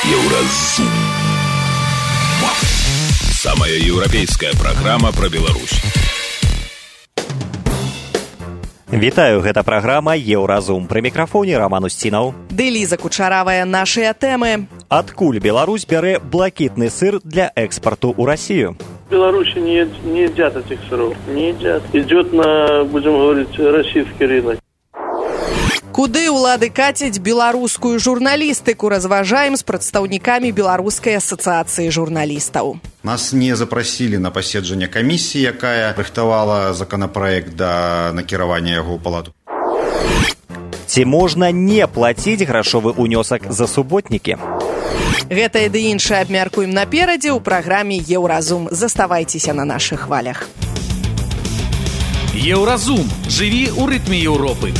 Еўразум. Самая еўрапейская праграма пра Беларусь. Вітаю, гэта праграма «Еўразум». Пры мікрафоне Роман Устінаў. Ды Ліза Кучаравая, нашыя тэмы. Адкуль Беларусь бярэ блакітны сыр для экспарту ў Россию? В Беларуси не едят этих сыров, не едят. Идет на, будем говорить, российский рынок. Куды ўлады кацяць беларускую журналістыку, разважаем з прадстаўнікамі Беларускай асацыяцыі журналістаў. Нас не запросили на паседжанне камісіі, якая рыхтавала законопроект да накіравання яго ў палату. Ці можна не плаціць грашовы ўнёсак за суботнікі? Гэта і ды іншае абмяркуем наперадзе ў праграме «Еўразум». Заставайцеся на нашых хвалях. Еўразум. Жыві ў рытме Еўропы.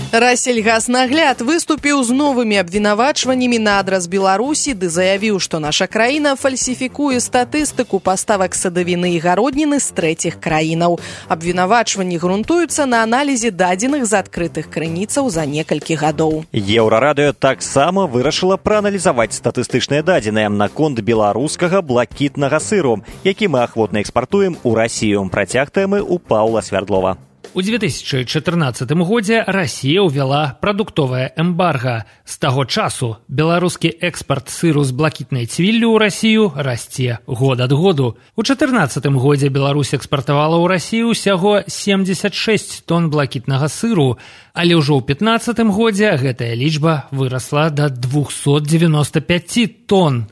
Рассельгаснагляд выступіў з новымі абвінавачваннямі на адрас Беларусі ды заявіў, што наша краіна фальсіфікуе статыстыку паставак садавіны і гародніны з трэціх краінаў. Абвінавачванні грунтуюцца на аналізе дадзеных з адкрытых крыніцаў за некалькі гадоў. Еўрарадыё таксама вырашыла прааналізаваць статыстычныя дадзеныя наконт беларускага блакітнага сыру, які мы ахвотна экспартуем у Расію. Працяг тэмы ў Паўла Свярдлова. У 2014 годзе Расія ўвяла прадуктовае эмбарга. З таго часу беларускі экспарт сыру з блакітнай цвіллю ў Расію расце год ад году. У 2014 годзе Беларусь экспартавала ў Расію ўсяго 76 тонн блакітнага сыру, але ўжо ў 2015 годзе гэтая лічба вырасла да 295 тонн.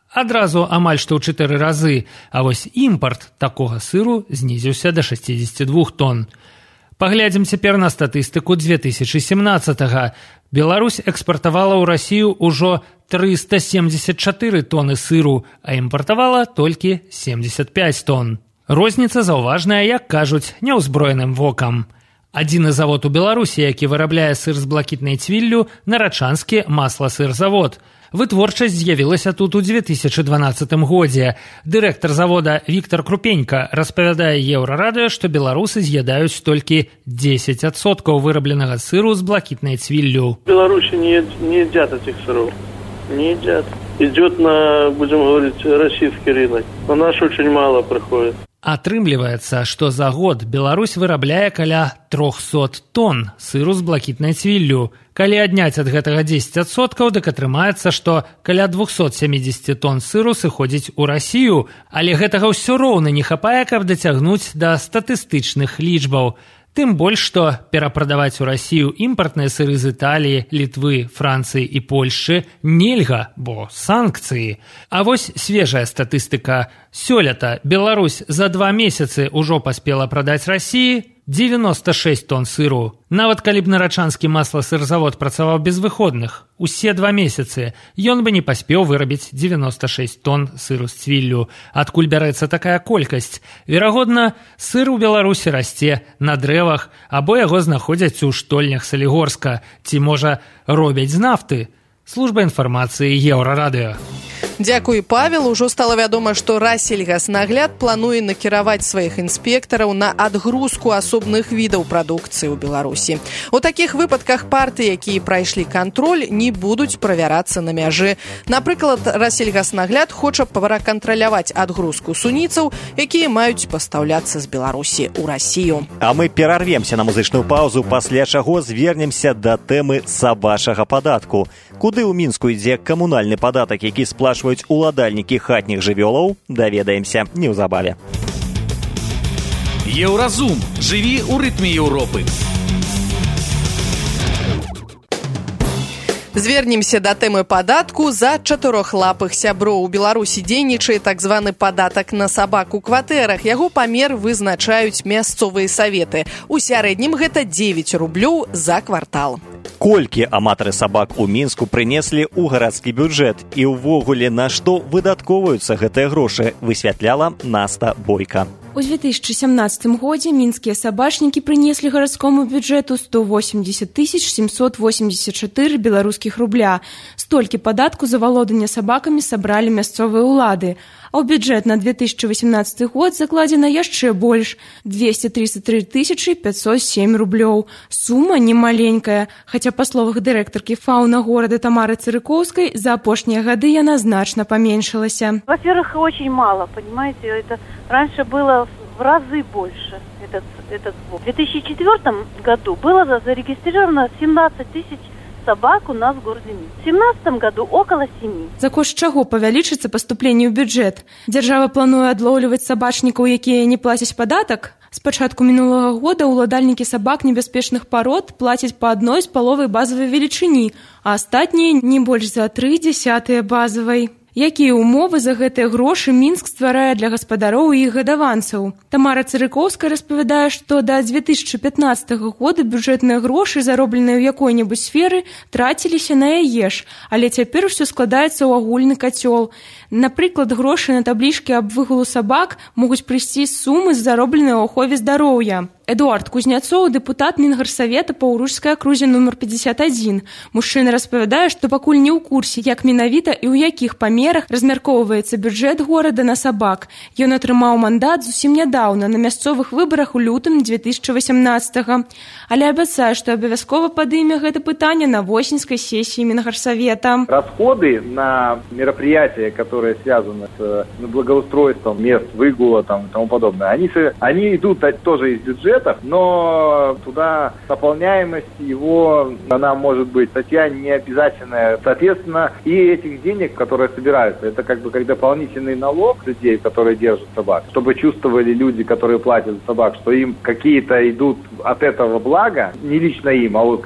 Адразу амаль што ў 4 разы, а вось імпарт такога сыру знізіўся да 62 тонн. Паглядзім цяпер на статыстыку 2017-го. Беларусь экспартавала ў Расію ўжо 374 тонны сыру, а імпартавала толькі 75 тонн. Розніца заўважная, як кажуць, няўзброеным вокам. Адзіны завод у Беларусі, які вырабляе сыр з блакітнай цвіллю, Нарачанскі масласырзавод. Вытворчасць з'явілася тут у 2012 годзе. Дырэктар завода Віктор Крупенька распавядае Еўрарадыё, што беларусы з'ядаюць толькі 10% вырабленага сыру з блакітнай цвіллю. В Беларуси не едят этих сыров, не едят. Идет на, будем говорить, российский рынок. На наш очень мало приходит. Атрымліваецца, што за год Беларусь вырабляе каля 300 тонн сыру з блакітнай цвіллю. Калі адняць ад гэтага 10%, дык атрымаецца, што каля 270 тонн сыру сыходзіць у Расію, але гэтага ўсё роўна не хапае, каб дацягнуць да статыстычных лічбаў. Тым больш, што перапрадаваць у Расію імпартныя сыры з Італіі, Літвы, Францыі і Польшчы нельга, бо санкцыі. А вось свежая статыстыка. Сёлета Беларусь за 2 месяцы ўжо паспела прадаць Расіі 96 тонн сыру. Нават калі б Нарачанскі масласырзавод працаваў без выходных, усе 2 месяцы, ён бы не паспеў вырабіць 96 тонн сыру з цвіллю. Адкуль бярэцца такая колькасць? Верагодна, сыр у Беларусі расце на дрэвах, або яго знаходзяць у штольнях Салігорска, ці, можа, робяць з нафты. Служба інфармацыі Еўрарадыё. Дзякуй, Павел. Ужо стала вядома, што Рассельгаснагляд плануе накіраваць сваіх інспектараў на адгрузку асобных відаў прадукцыі ў Беларусі. У такіх выпадках партыі, якія прайшлі кантроль, не будуць правярацца на мяжы. Напрыклад, Рассельгаснагляд хоча пракантраляваць адгрузку суніцаў, якія маюць пастаўляцца з Беларусі ў Расію. А мы перарвемся на музычную паузу, пасля чаго звернемся да тэмы сабачага падатку. Куды ў Мінску ідзе камунальны падатак, які сплачваюць уладальнікі хатніх жывёлаў, даведаемся неўзабаве. Еўразум. Жыві ў рытме Еўропы. Звернемся да тэмы падатку за чатырохлапых сяброў. У Беларусі дзейнічае так званы падатак на сабак у кватэрах. Яго памер вызначаюць мясцовыя саветы. У сярэднім гэта 9 рублёў за квартал. Колькі аматары сабак у Мінску прынеслі ў гарадскі бюджэт і ўвогуле на што выдаткоўваюцца гэтыя грошы, высвятляла Наста Бойка. У 2017 годзе мінскія сабачнікі прынеслі гарадскому бюджэту 180 784 беларускіх рубля. Столькі падатку за валоданне сабакамі сабралі мясцовыя ўлады. а ў бюджэт на 2018 год закладзена яшчэ больш – 233 507 рублёў. Сума немаленькая, хаця па словах дырэктаркі фауна горада Тамары Цырыкоўскай за апошнія гады яна значна паменшылася. Во-первых, очень мало, понимаете, это раньше было в разы больше этот сбор. В 2004 году было зарегистрировано 17 тысяч собак у нас в городе Минск. В 2017 году около 7. За кошт чаго павялічыцца паступленне ў бюджэт? Дзяржава плануе адлоўліваць сабачнікаў, якія не плацяць падатак? З пачатку мінулага года ўладальнікі сабак небяспечных парод плацяць па 1,5 базавай велічыні, а астатнія не больш за 0,3 базавай. Якія ўмовы за гэтыя грошы Мінск стварае для гаспадароў і іх гадаванцаў? Тамара Цырыкоўская распавядае, што да 2015 года бюджэтныя грошы, заробленыя ў якой-небудзь сферы, траціліся на яе ж, але цяпер усё складаецца ў агульны кацёл. Напрыклад, грошы на таблічкі аб выгулу сабак могуць прыйсці з сумы, заробленыя ў ахове здароўя. Эдуард Кузняцоў, дэпутат Мінгарсавета па Ўручскай акрузе нумар 51. Мужчына распавядае, што пакуль не ў курсе, як менавіта і ў якіх памерах размяркоўваецца бюджэт горада на сабак. Ён атрымаў мандат зусім нядаўна, на мясцовых выбарах у лютым 2018-го. Але абяцае, што абавязкова падыме гэта пытанне на восеньскай сессии Мінгарсавета. Расходы на мероприятия, которые связаны с благоустройством мест выгула и тому подобное, они идут тоже из бюджета, но туда наполняемость его, она может быть статья не обязательная. Соответственно, и этих денег, которые собираются, это как дополнительный налог людей, которые держат собак, чтобы чувствовали люди, которые платят за собак, что им какие-то идут от этого блага, не лично им, а вот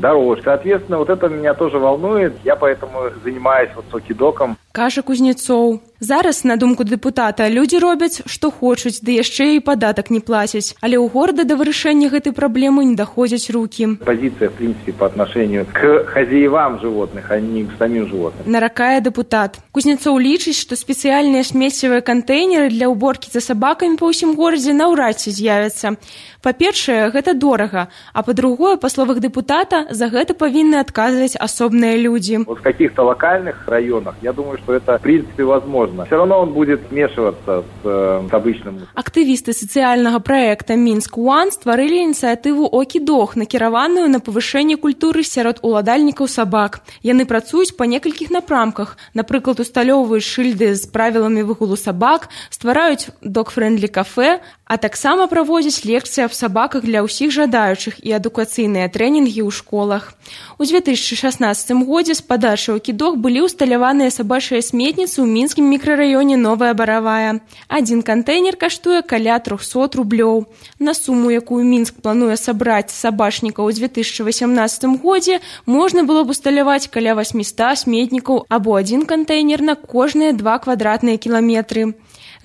дороже. Соответственно, вот это меня тоже волнует, я поэтому занимаюсь сокидоком. Кажа Кузнецоў. Зараз, на думку дэпутата, людзі робяць, што хочуць, ды яшчэ і падатак не плацяць. Але ў горада да вырашэння гэтай праблемы не даходзяць рукі. Позиция, в принципе, по отношению к хозяевам животных, а не к самим животным. Наракае дэпутат. Кузнецоў лічыць, што спецыяльныя смеццевыя кантэйнеры для ўборкі за сабакамі па ўсім горадзе наўрад ці з'явяцца. Па-першае, гэта дорага, а па-другое, па словах дэпутата, за гэта павінны адказваць асобныя людзі. Вот в каких-то локальных районах, я думаю, что это, в принципе, возможно. Все равно он будет смешиваться с обычным. Актывісты сацыяльнага праекта «Мінск One» стварылі ініцыятыву «Окидох», накіраваную на павышэнне культуры сярод уладальнікаў сабак. Яны працуюць па некалькіх напрамках. Напрыклад, усталёўваюць шыльды з правіламі выгулу сабак, ствараюць dog-friendly кафе, а таксама праводзяць лекцыі аб сабаках для ўсіх жадаючых і адукацыйныя трэнінгі ў школах. У 2016 годзе з падачы «Окидох» былі ўсталяваныя сабачыя сметніцы ў мінскім мікрараёне Новая Баравая. Адзін кантэйнер каштуе каля 300 рублёў. На суму, якую Мінск плануе сабраць сабачнікаў у 2018 годзе, можна было б усталяваць каля 800 сметнікаў або адзін кантэйнер на кожныя 2 квадратныя кіламетры.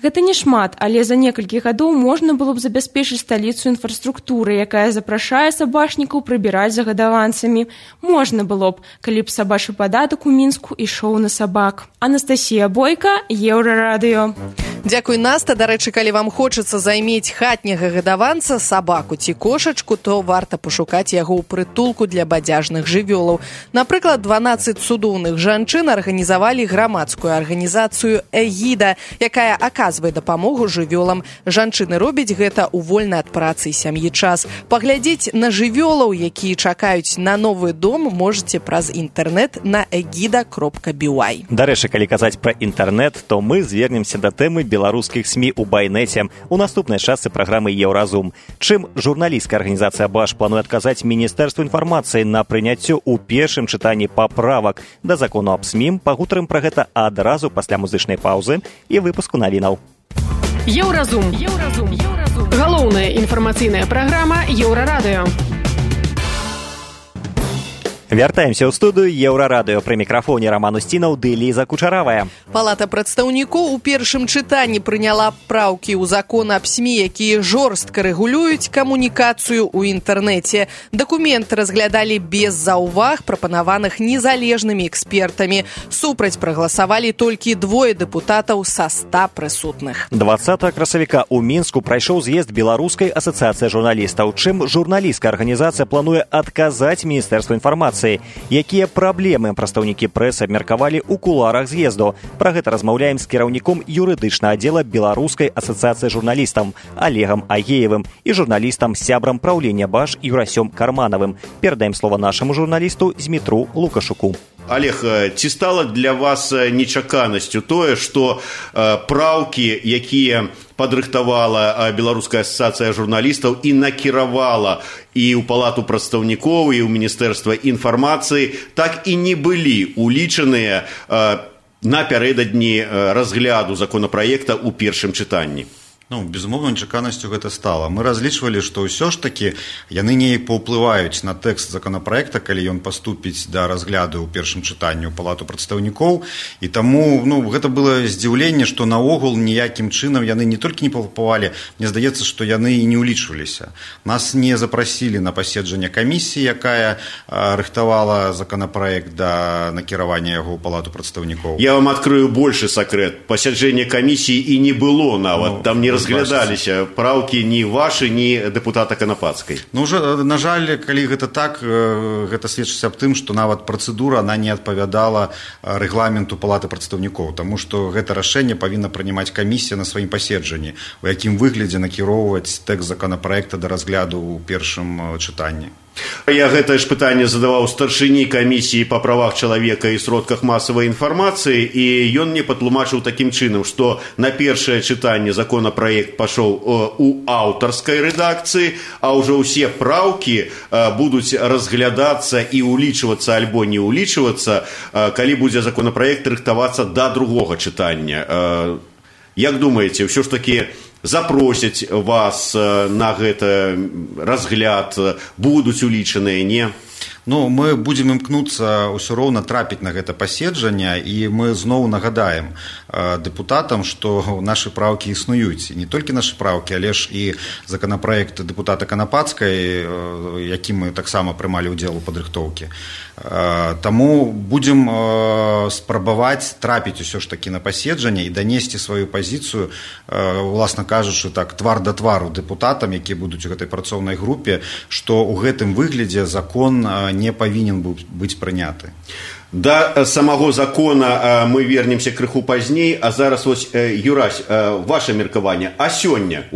Гэта не шмат, але за некалькі гадоў можна было б забяспечыць сталіцу інфраструктуры, якая запрашае сабачнікаў прыбіраць за гадаванцамі. Можна было б, калі б сабачы падатак у Мінску ішоў на сабак. Анастасія Бойка, Еўрарадыё. Дзякуй, Наста. Дарэчы, калі вам хочацца займець хатняга гадаванца, сабаку ці кошачку, то варта пашукаць яго ў прытулку для бадзяжных жывёлаў. Напрыклад, 12 цудоўных жанчын арганізавалі грамадскую арганізацыю «Эгіда», якая аказвае дапамогу жывёлам. Жанчыны робяць гэта ў вольны ад працы сям'і час. Паглядзець на жывёлаў, якія чакаюць на новы дом, можаце праз інтэрнэт на egida.by. Дарэчы, калі казаць пра інтэрнэт, то мы звернемся да тэмы беларускіх СМІ ў байнэце у наступнай частцы праграмы «Еўразум». Чым журналісцкая арганізацыя «Баш» плануе адказаць Міністэрству інфармацыі на прыняццё ў першым чытанні паправак да закону аб СМІ, пагутарым пра гэта адразу пасля музычнай паўзы і выпуску навінаў. Еўразум. Галоўная інфармацыйная праграма Еўрарадыё. Вяртаемся ў студыю «Еўрарадыё». Пры мікрафоне Роман Устінаў ды Ліза Кучаравая. Палата прадстаўнікоў у першым чытанні прыняла праўкі ў закон аб СМІ, якія жорстка рэгулююць камунікацыю ў інтэрнэце. Дакумент разглядалі без заўваг, прапанаваных незалежнымі экспертамі. Супраць прагаласавалі толькі 2 дэпутатаў са 100 прысутных. 20 красавіка ў Мінску прайшоў з'езд Беларускай асацыяцыі журналістаў. Чым журналісцкая арганізацыя плануе адказаць Міністэрству інфармацыі? інфармацыі. Якія праблемы прадстаўнікі прэсы абмеркавалі ў кулуарах з'езду? Пра гэта размаўляем з кіраўніком юрыдычнага аддзела Беларускай асацыяцыі журналістаў Олегам Агеевым і журналістам сябрам праўлення БАЖ Юрасём Карманавым. Перадаем слова нашаму журналісту Змітру Лукашуку. Олег, ці стала для вас нечаканасцю тое, што праўкі, якія падрыхтавала Беларуская асацыяцыя журналістаў і накіравала і ў Палату прадстаўнікоў, і ў Міністэрства інфармацыі, так і не былі улічаныя напярэдадні разгляду законапраекта ў першым чытанні? Безумоўна, нечаканасцю гэта стала. Мы разлічвалі, што ўсё ж такі яны неяк паўплываюць на тэкст законапраекта, калі ён паступіць да разгляду ў першым чытанні ў Палату прадстаўнікоў. І таму гэта было здзіўленне, што наогул ніякім чынам яны не толькі не паўплывалі, мне здаецца, што яны і не ўлічваліся. Нас не запрасілі на паседжанне камісіі, якая рыхтавала законапраект да накіравання яго ў Палату прадстаўнікоў. Я вам адкрыю большы сакрэт. Паседжання камісіі і не было нават. Там не разглядаліся праўкі ні вашы, ні дэпутата Канапацкай. На жаль, калі гэта так, гэта сведчыць аб тым, што нават працэдура она не адпавядала рэгламенту Палаты прадстаўнікоў, таму што гэта рашэнне павінна прынимаць камісія на сваім паседжанні, у якім выглядзе накіроўваць тэкст законапраекта да разгляду ў першым чытанні. Я гэтае ж пытанне задаваў старшыні камісіі па правах чалавека і сродках масавай інфармацыі, і ён мне патлумачыў такім чынам, што на першае чытанне законапраект пашоў у аўтарскай рэдакцыі, а ўжо ўсе праўкі будуць разглядацца і ўлічвацца альбо не ўлічвацца, калі будзе законапраект рыхтавацца да другога чытання. Як думаеце, ўсё ж такі запросяць вас на гэты разгляд, будуць улічаныя, не? Мы будзем імкнуцца ўсё роўна трапіць на гэта паседжанне, і мы зноў нагадаем дэпутатам, што нашы праўкі існуюць. Не толькі нашы праўкі, але ж і законапраект дэпутата Канапацкай, якім мы таксама прымалі ўдзел у падрыхтоўкі. Таму будзем спрабаваць трапіць усё ж такі на паседжанне і данесці сваю пазіцыю, уласна кажучы, так, твар да твару дэпутатам, якія будуць у гэтай працоўнай групе, што ў гэтым выглядзе закон не павінен быць прыняты. Да самого закона мы вернемся крыху пазней, а зараз вось, Юрась, ваше меркаванне. А сёння,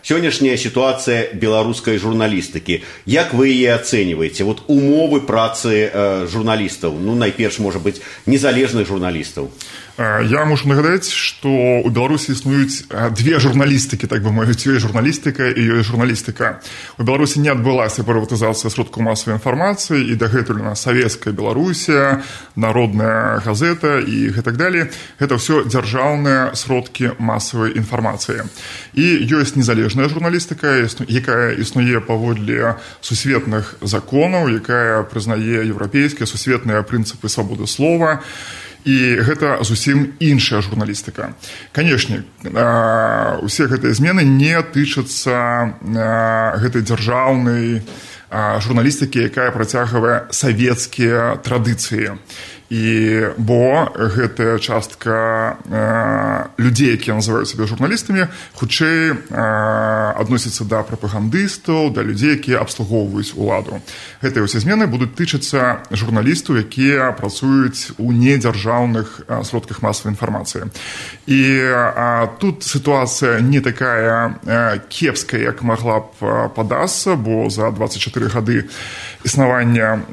сённяшняя сітуацыя беларускай журналістыкі, як вы яе ацэньваеце? Умовы працы журналістаў, найперш, можа быць, незалежных журналістаў. Я мушу нагадаць, што ў Беларусі існуюць две журналістыкі, так бы мовіць, ёсць журналістыка і ёсць журналістыка. У Беларусі не адбылася прыватызацыя сродкаў масавай інфармацыі, і дагэтуль у нас Савецкая Беларусія, Народная газета і гэтак далей. Гэта ўсё дзяржаўныя сродкі масавай інфармацыі. І ёсць незалежная журналістыка, якая існуе паводле сусветных законаў, якая прызнае еўрапейскія сусветныя прынцыпы свабоды слова. І гэта зусім іншая журналістыка. Канешне, усе гэтыя змены не тычацца гэтай дзяржаўнай журналістыкі, якая працягвае савецкія традыцыі. Бо гэтая частка людзей, якія называюць сябе журналістамі, хутчэй адносяцца да прапагандыстаў, да людзей, якія абслугоўваюць уладу. Гэтыя ўсе змены будуць тычацца журналістаў, якія працуюць у недзяржаўных сродках масавай інфармацыі. І тут сітуацыя не такая кепская, як магла б падацца, бо за 24 гады існавання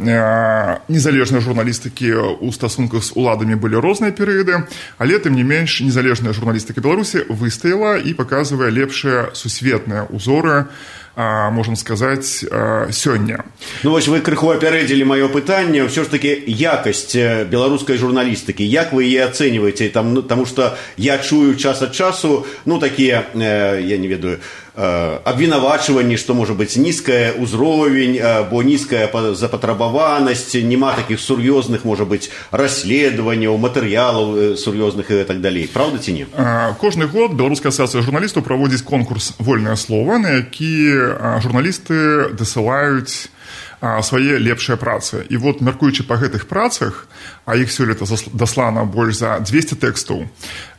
незалежнай журналістыкі у стасунках з уладамі былі розныя перыяды, але, тым не менш, незалежная журналістыка Беларусі выстаяла і паказвае лепшыя сусветныя ўзоры, можам сказаць, сёння. Вось вы крыху апярэдзілі маё пытанне, ўсё ж такі якасць беларускай журналістыкі, як вы яе ацэньваеце? Таму што я чую час ад часу, такія, я не ведаю, абвінавачванні, што можа быць нізкая ўзровень, бо нізкая запатрабаванасць, няма такіх сур'ёзных, можа быць, расследаванняў, матэрыялаў сур'ёзных і так далей. Праўда ці не? Кожны год Беларуская асацыяцыя журналістаў праводзіць конкурс «Вольнае слова», на які журналісты дасылаюць свае лепшыя працы. І вот, мяркуючы па гэтых працах, а іх сёлета даслана больш за 200 тэкстаў,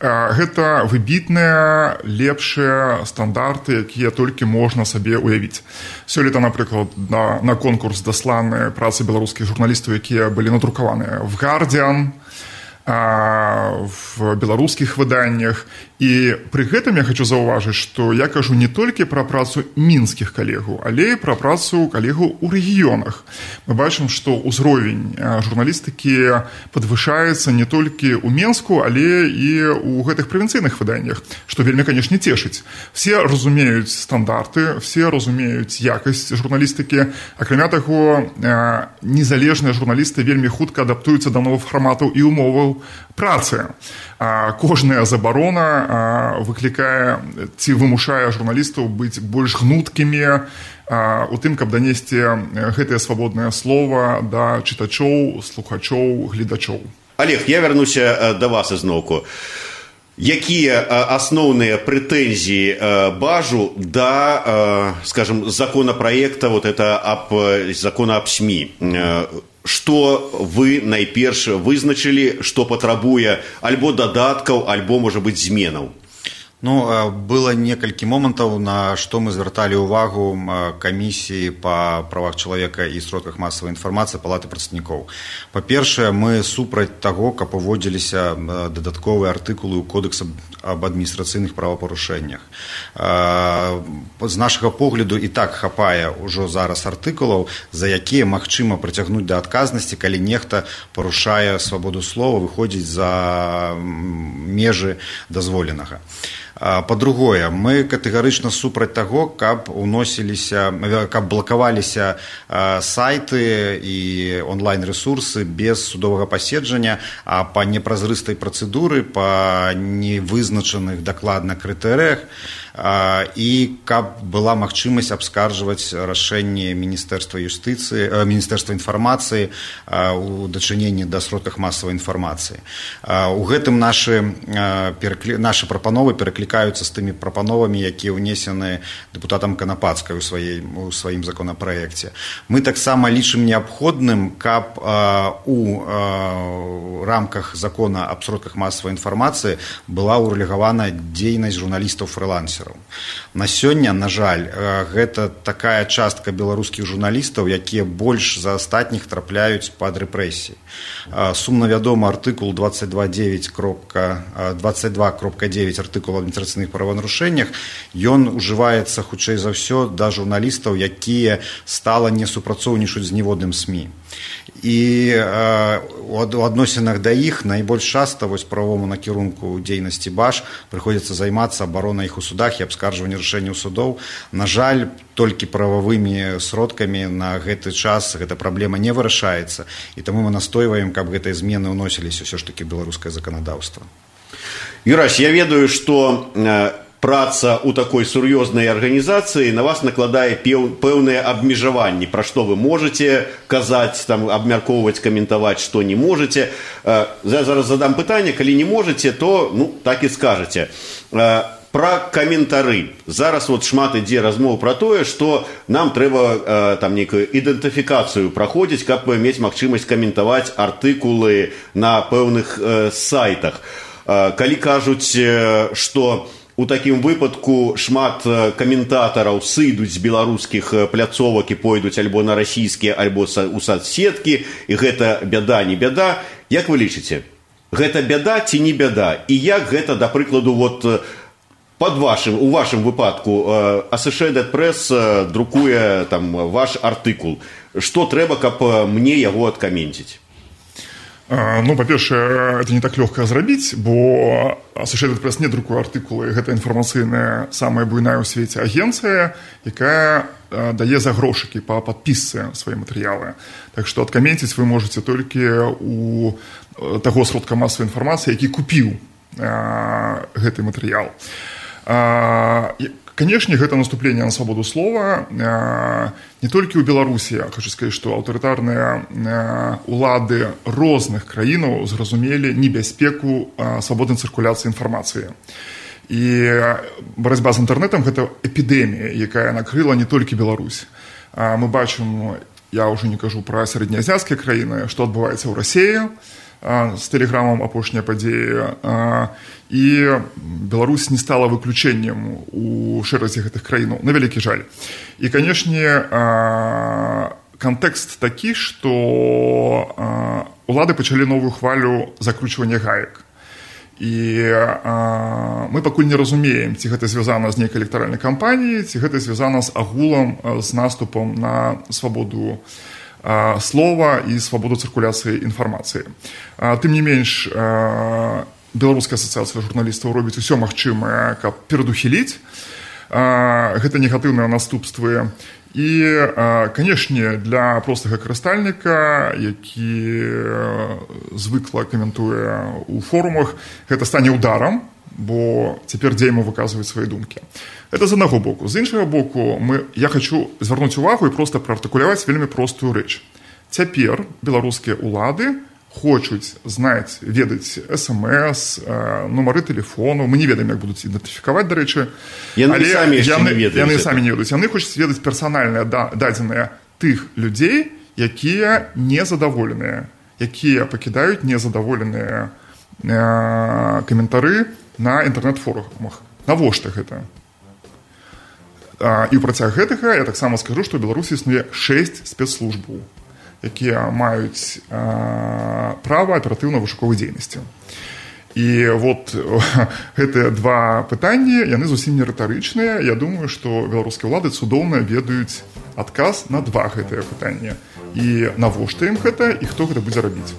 гэта выбітныя, лепшыя стандарты, якія толькі можна сабе уявіць. Сёлета, напрыклад, на конкурс дасланы працы беларускіх журналістаў, якія былі надрукаваныя в «Гардиан», в беларускіх выданнях. І пры гэтым я хочу заўважыць, што я кажу не толькі пра працу мінскіх калегаў, але і пра працу калегаў у рэгіёнах. Мы бачым, што ўзровень журналістыкі падвышаецца не толькі ў Менску, але і ў гэтых правінцыйных выданнях, што вельмі, канешне, цешыць. Все разумеюць стандарты, все разумеюць якасць журналістыкі. Акрамя таго, незалежныя журналісты вельмі хутка адаптуюцца да новых фарматаў і умоваў працы. Кожная забарона выклікае ці вымушае журналістаў быць больш гнуткімі у тым, каб данесці гэтае свабоднае слова да чытачоў, слухачоў, гледачоў. Олег, я вярнуся да вас изноўку. Якія асноўныя прэтэнзіі Бажу да, скажем, законопроекта вот это закона аб СМІ? Што вы найперш вызначылі, што патрабуе альбо дадаткаў, альбо, можа быць, зменаў? Было некалькі момантаў, на што мы звярталі ўвагу камісіі па правах чалавека і сродках масавай інфармацыі Палаты прадстаўнікоў. Па-першае, мы супраць таго, каб уводзіліся дадатковыя артыкулы ў Кодекс аб адміністрацыйных правапарушэннях. З нашага погляду і так хапае ўжо зараз артыкулаў, за якія магчыма прыцягнуць да адказнасці, калі нехта парушае свабоду слова, выходзіць за межы дазволенага. Па-другое, мы катэгарычна супраць таго, каб блакаваліся сайты і онлайн-рэсурсы без судовага паседжання, а па непразрыстай працэдуры, па невызначаных дакладна крытэрыях, і каб была магчымасць абскарджваць рашэнні Міністэрства юстыцыі, Міністэрства інфармацыі у дачыненні да сродках масавай інфармацыі. У гэтым нашы прапановы пераклікаюцца з тымі прапановамі, якія ўнесены дэпутатам Канапацкай у сваім законапраекце. Мы таксама лічым неабходным, каб у рамках закона аб сродках масавай інфармацыі была ўрэгулявана дзейнасць журналістаў-фрылансераў. На сёння, на жаль, гэта такая частка беларускіх журналістаў, якія больш за астатніх трапляюць пад рэпрэсіі. Сумна вядома артыкул 22.9 артыкул аб адміністрацыйных праванарушэннях, ён ужываецца хутчэй за ўсё да журналістаў, якія стала не супрацоўнічаюць з ніводным СМІ. І у адносінах да іх найбольш часта правовому накірунку дзейнасці Баж прыходзіцца займацца абаронай іх у судах і абскарджванне рашэнняў судоў. На жаль, толькі прававымі сродкамі на гэты час гэта праблема не вырашаецца, і таму мы настойваем, каб гэтыя змены ўносіліся ўсё ж такі беларускае заканадаўства. Юрась, я ведаю, што праца ў такой сур'ёзнай арганізацыі на вас накладае пэўныя абмежаванні, пра што вы можаце казаць, абмяркоўваць, каментаваць, што не можаце. Я зараз задам пытанне, калі не можаце, то так і скажаце. Пра каментары. Зараз шмат ідзе размоў пра тое, што нам трэба нейкую ідэнтыфікацыю праходзіць, каб мець магчымасць каментаваць артыкулы на пэўных сайтах. Калі кажуць, што у такім выпадку шмат каментатараў сыдуць з беларускіх пляцовак і пойдуць альбо на расійскія, альбо у соцсеткі, і гэта бяда, не бяда. Як вы лічыце? Гэта бяда ці не бяда? І як гэта, да прыкладу, у вашым выпадку Associated Press друкуе ваш артыкул? Што трэба, каб мне яго адкаменціць? Па-першае, это не так лёгка зрабіць, бо Associated Press не друкуе артыкулы. Гэта інфармацыйная, самая буйная ў свеце агенцыя, якая дае за грошыкі па падпісцы свае матэрыялы. Так што адкаменціць вы можаце толькі у таго сродка масавай інфармацыі, які купіў гэты матэрыял. Канешне, гэта наступленне на свабоду слова не толькі ў Беларусі. Хочу сказаць, што аўтарытарныя улады розных краінаў зразумелі небяспеку свабоднай цыркуляцыі інфармацыі. І барацьба з інтэрнэтам – гэта эпідэмія, якая накрыла не толькі Беларусь. Мы бачым я ўжо не кажу пра сярэднеазіяцкія краіны, што адбываецца ў Расіі з тэлеграмам апошняя падзея, і Беларусь не стала выключэннем у шэразе гэтых краінаў, на вялікі жаль. І, канешне, кантэкст такі, што улады пачалі новую хвалю закручвання гаек. І мы пакуль не разумеем, ці гэта звязана з нейкай электаральнай кампаніяй, ці гэта звязана з агулам, з наступам на свабоду слова і свабоду цыркуляцыі інфармацыі. Тым не менш, Беларуская асацыяцыя журналістаў робіць усё магчымае, каб перадухіліць гэта негатыўныя наступствы. І, канешне, для простага карыстальніка, які звыкла каментуе ў форумах, гэта стане ударам, бо цяпер дзейма выказваюць свае думкі. Гэта з аднаго боку. З іншага боку, я хочу звярнуць увагу і проста праартыкуляваць вельмі простую рэч. Цяпер беларускія ўлады хочуць знаць, ведаць СМС, нумары тэлефону. Мы не ведаем, як будуць ідэнтыфікаваць, дарэчы. Яны самі не ведаюць. Яны хочуць ведаць персанальныя дадзеныя тых людзей, якія незадаволеныя, якія пакідаюць незадаволеныя каментары на інтэрнэт-форумах. Навошта гэта? І ў працяг гэтага я таксама скажу, што ў Беларусі існуе 6 спецслужбаў, якія маюць права аператыўна-вышуковай дзейнасці. І вот гэтыя два пытанні, яны зусім не рытарычныя. Я думаю, што беларускія ўлады цудоўна ведаюць адказ на два гэтыя пытанні. І навошта ім гэта, і хто гэта будзе рабіць.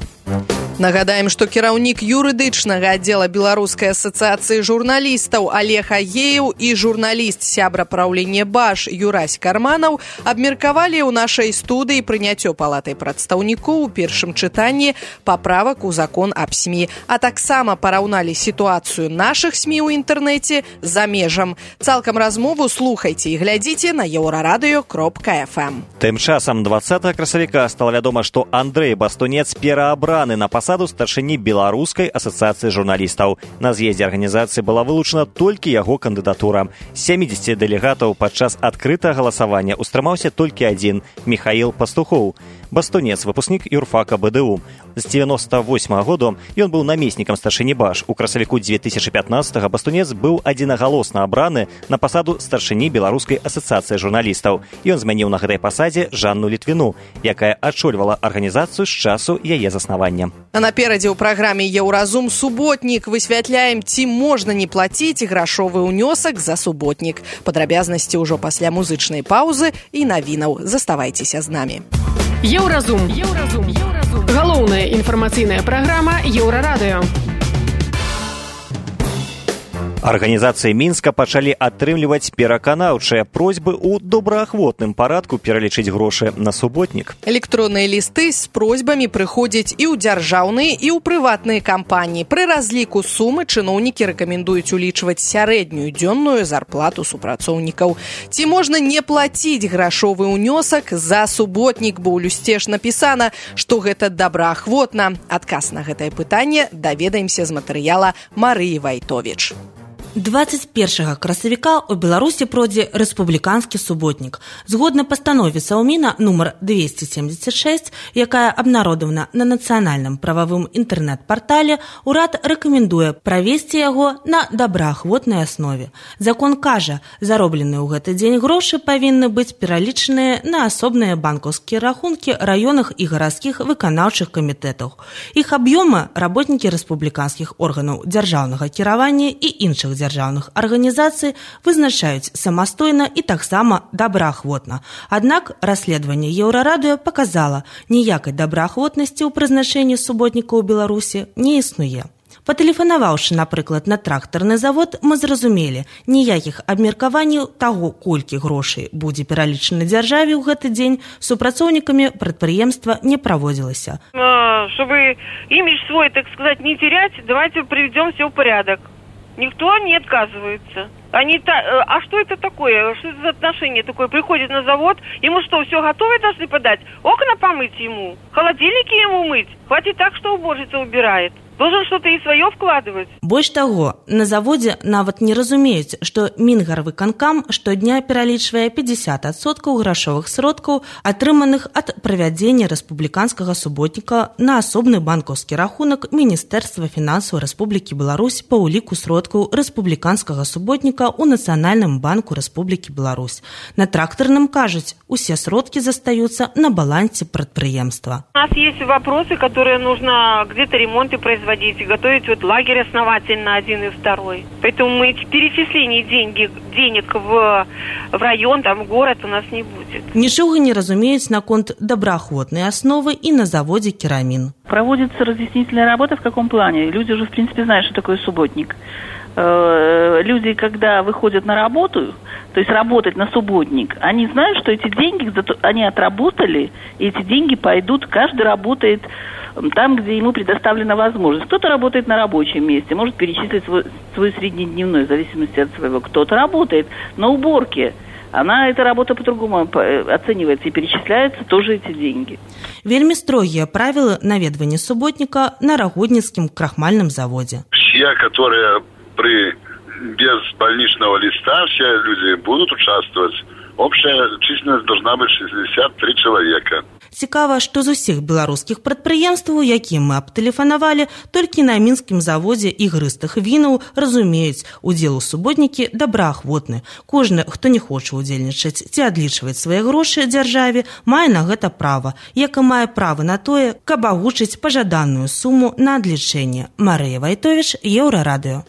Нагадаем, што кіраўнік юрыдычнага аддзела Беларускай асацыяцыі журналістаў Олег Агеев і журналіст сябра праўлення БАШ Юрась Карманаў абмеркавалі ў нашай студыі прыняццё палатай прадстаўнікоў у першым чытанні паправак у закон аб СМІ, а таксама параўналі сітуацыю нашых СМІ ў інтэрнэце за межам. Цалкам размову слухайце і глядзіце на еўрарадыё.фм. Тым часам 20 красавіка стала вядома, што Андрэй Бастунец пераабраны на пасаду старшыні Беларускай асацыяцыі журналістаў. На з'ездзе арганізацыі была вылучана толькі яго кандыдатура. З 70 дэлегатаў падчас адкрытага галасавання ўстрымаўся толькі адзін – Михаил Пастухоў. Бастунец, выпускнік юрфака БДУ. З 98 году ён быў намеснікам старшыні БАШ. У красавіку 2015 Бастунец быў адзінагалосна абраны на пасаду старшыні Беларускай асацыяцыі журналістаў. Ён змяніў на гэтай пасадзе Жанну Літвіну, якая адчольвала арганізацыю з часу яе заснавання. А наперадзе ў праграме «Еўразум» суботнік высвятляем, ці можна не плаціць грашовы ўнёсак за суботнік. Падрабязнасці ўжо пасля музычнай паўзы і навінаў. Заставайцеся з намі. Еўразум. Галоўная інфармацыйная праграма Еўрарадыё. Арганізацыі Мінска пачалі атрымліваць пераканаўчыя просьбы ў добраахвотным парадку пералічыць грошы на суботнік. Электронныя лісты з просьбамі прыходзяць і ў дзяржаўныя, і ў прыватныя кампаніі. Пры разліку сумы чыноўнікі рэкамендуюць улічваць сярэднюю дзённую зарплату супрацоўнікаў. Ці можна не плаціць грашовы ўнёсак за суботнік, бо ў люсце ж напісана, што гэта добраахвотна. Адказ на гэтае пытанне даведаемся з матэрыяла Марыі Вайтовіч. 21 красавіка ў Беларусі пройдзе рэспубліканскі суботнік. Згодна пастанове Саўміна нумар 276, якая абнародавана на нацыянальным прававым інтэрнэт-партале, урад рэкамендуе правесці яго на добраахвотнай аснове. Закон кажа, заробленыя ў гэты дзень грошы павінны быць пералічаныя на асобныя банкаўскія рахункі раённых і гарадскіх выканаўчых камітэтаў. Іх аб'ёмы работнікі рэспубліканскіх органаў дзяржаўнага кіравання і іншых дзяржаўных арганізацый вызначаюць самастойна і таксама добраахвотна. Аднак расследаванне Еўрарадыё паказала, ніякай добраахвотнасці ў прызначэнні суботніка ў Беларусі не існуе. Патэлефанаваўшы, напрыклад, на трактарны завод, мы зразумелі, ніякіх абмеркаванняў таго, колькі грошай будзе пералічана дзяржаве ў гэты дзень, супрацоўнікамі прадпрыемства не праводзілася. Чтобы имидж свой, так сказать, не терять, давайте приведем все в порядок. Никто не отказывается. А что это такое? Что это за отношение такое? Приходит на завод, ему что, все готовое должны подать? Окна помыть ему? Холодильники ему мыть? Хватит так, что уборщица убирает. должен что-то и свое вкладывать. Больш таго, на заводзе нават не разумеюць, што Мінгарвыканкам штодня пералічвае 50% грашовых сродкаў, атрыманых ад правядзення рэспубліканскага суботніка на асобны банкаўскі рахунак Міністэрства фінансаў Рэспублікі Беларусь па ўліку сродкаў рэспубліканскага суботніка ў Нацыянальным банку Рэспублікі Беларусь. На трактарным кажуць, усе сродкі застаюцца на балансе прадпрыемства. У нас есть вопросы, которые нужно где-то ремонты производить и готовить вот лагерь основательно один и второй. Поэтому мы перечислений денег в район, там, в город у нас не будет. Нічога не разумеюць наконт добраахвотнай асновы і на заводзе «Керамін». Проводится разъяснительная работа в каком плане? Люди уже, в принципе, знают, что такое субботник. Люди, когда выходят на работу, то есть работать на субботник, они знают, что эти деньги они отработали, и эти деньги пойдут, каждый работает там, где ему предоставлена возможность. Кто-то работает на рабочем месте, может перечислить свой среднедневной, в зависимости от своего. Кто-то работает на уборке. Эта работа по-другому оценивается и перечисляются тоже эти деньги. Вельмі строгія правілы наведвання суботніка на Рагодніцкім крахмальным заводе. Все, которые без больничного листа, все люди будут участвовать. Общая численность должна быть 63 человека. Цікава, што з усіх беларускіх прадпрыемстваў, якім мы абтэлефанавалі, толькі на мінскім заводзе ігрыстых вінаў разумеюць, удзел у суботнікі добраахвотны. Кожны, хто не хоча удзельнічаць ці адлічваць свае грошы дзяржаве, мае на гэта права, як і мае права на тое, каб агучыць пажаданую суму на адлічэнне. Марыя Вайтовіч, Еўрарадыё.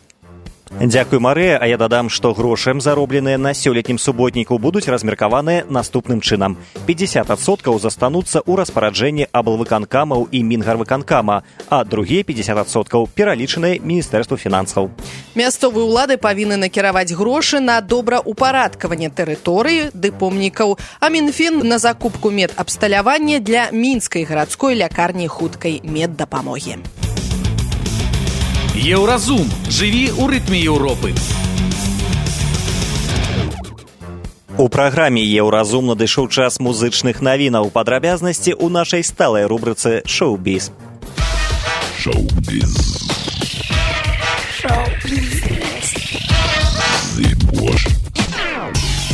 Дзякуй, Марыя, а я дадам, што грошы, заробленыя на сёлетнім суботніку, будуць размеркаваныя наступным чынам. 50% застануцца ў распараджэнні аблвыканкамаў і Мінгарвыканкама, а другія 50% пералічаныя Міністэрству фінансаў. Мясцовыя ўлады павінны накіраваць грошы на добраўпарадкаванне тэрыторыі ды помнікаў, а Мінфін на закупку медабсталявання для мінскай гарадской лякарні хуткай меддапамогі. Еўразум. Жыві ў рытме Еўропы. У праграме «Еўразум» надышоў час музычных навінаў. Падрабязнасці ў нашай сталай рубрыцы «Шоу-біз». Шоу-біз.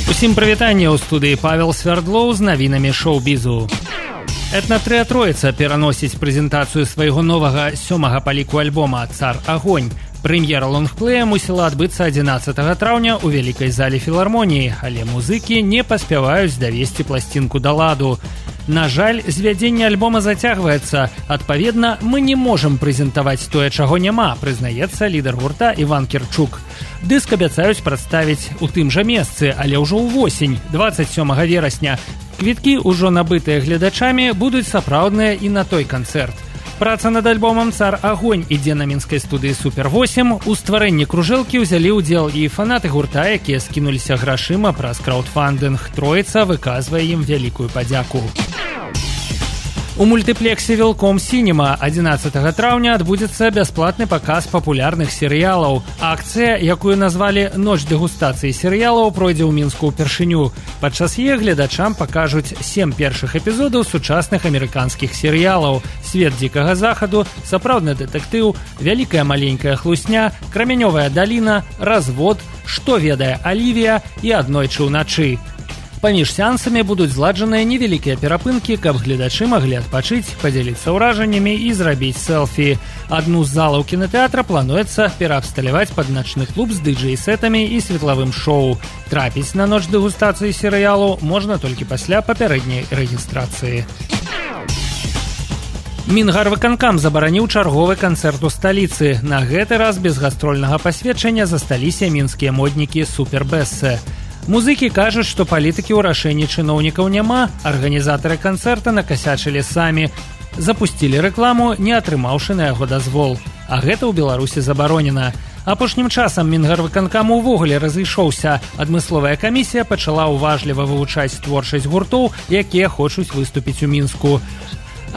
Усім прывітанне, ў студыі Павел Свярдлоў з навінамі шоу-бізу. Этна-трыа троіца пераносіць прэзентацыю свайго новага 7-га па ліку альбома «Цар Агонь». Прэм'ера лонгплея мусіла адбыцца 11 траўня ў вялікай зале філармоніі, але музыкі не паспяваюць давесці пласцінку да ладу. На жаль, звядзенне альбома зацягваецца. Адпаведна, мы не можам прэзентаваць тое, чаго няма, прызнаецца лідар гурта Іван Кірчук. Дыск абяцаюць прадставіць у тым жа месцы, але ўжо ўвосень, 27 верасня. Квіткі, ўжо набытыя гледачамі, будуць сапраўдныя і на той канцэрт. Праца над альбомам «Цар Агонь» ідзе на мінскай студыі «Супер-8». У стварэнні кружэлкі ўзялі ўдзел і фанаты гурта, якія скінуліся грашыма праз краўдфандынг. Троіца выказвае ім вялікую падзяку. У мультыплексе «Велком Сінема» 11 траўня адбудзецца бясплатны паказ папулярных серыялаў. Акцыя, якую назвалі «Ноч дэгустацыі серыялаў», пройдзе ў Мінску ўпершыню. Падчас яе гледачам пакажуць 7 першых эпізодаў сучасных амерыканскіх серыялаў: «Свет дзікага захаду», «Сапраўдны дэтэктыў», «Вялікая маленькая хлусня», «Крамянёвая даліна», «Развод», «Што ведае Алівія» і «Аднойчы ўначы». Паміж сеансамі будуць зладжаныя невялікія перапынкі, каб гледачы маглі адпачыць, падзяліцца ўражаннямі і зрабіць селфі. Адну з залаў кінатэатра плануецца пераабсталяваць пад начны клуб з дыджэй-сетамі і светлавым шоу. Трапіць на ноч дэгустацыі серыялу можна толькі пасля папярэдняй рэгістрацыі. Мінгарвыканкам забараніў чарговы канцэрт у сталіцы. На гэты раз без гастрольнага пасведчання засталіся мінскія моднікі «Супербэссе». Музыкі кажуць, што палітыкі ў рашэнні чыноўнікаў няма, арганізатары канцэрта накасячылі самі, запусцілі рэкламу, не атрымаўшы на яго дазвол. А гэта ў Беларусі забаронена. Апошнім часам Мінгарвыканкам увогуле разышоўся. Адмысловая камісія пачала ўважліва вывучаць творчасць гуртоў, якія хочуць выступіць у Мінску.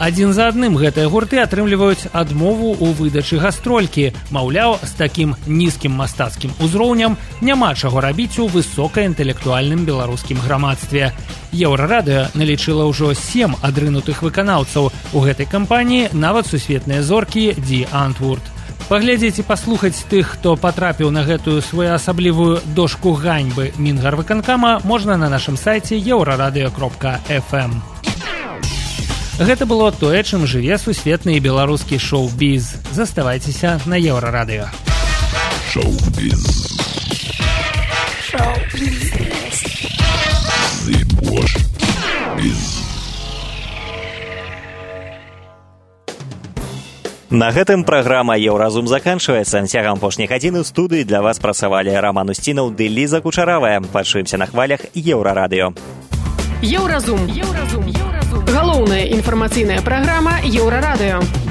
Адзін за адным гэтыя гурты атрымліваюць адмову ў выдачы гастролькі. Маўляў, з такім нізкім мастацкім узроўнем няма чаго рабіць у высокаінтэлектуальным беларускім грамадстве. Еўрарадыё налічыла ўжо 7 адрынутых выканаўцаў. У гэтай кампаніі нават сусветныя зоркі Ді Антвурд. Паглядзець і паслухаць тых, хто патрапіў на гэтую своеасаблівую дошку ганьбы Мінгарвыканкама, можна на нашым сайце euraradio.fm. Гэта было тое, чым жыве сусветны і беларускі шоу-біз. Заставайцеся на Еўрарадыё. Шоу-біз. Шоу-біз. Біз. На гэтым праграма «Еўразум» заканчваецца. Цягам апошняй гадзіны ў студыі для вас працавалі Роман Устінаў ды Ліза Кучаравая. Пачуемся на хвалях Еўрарадыё. Еўразум. Галоўная інфармацыйная праграма Еўрарадыё.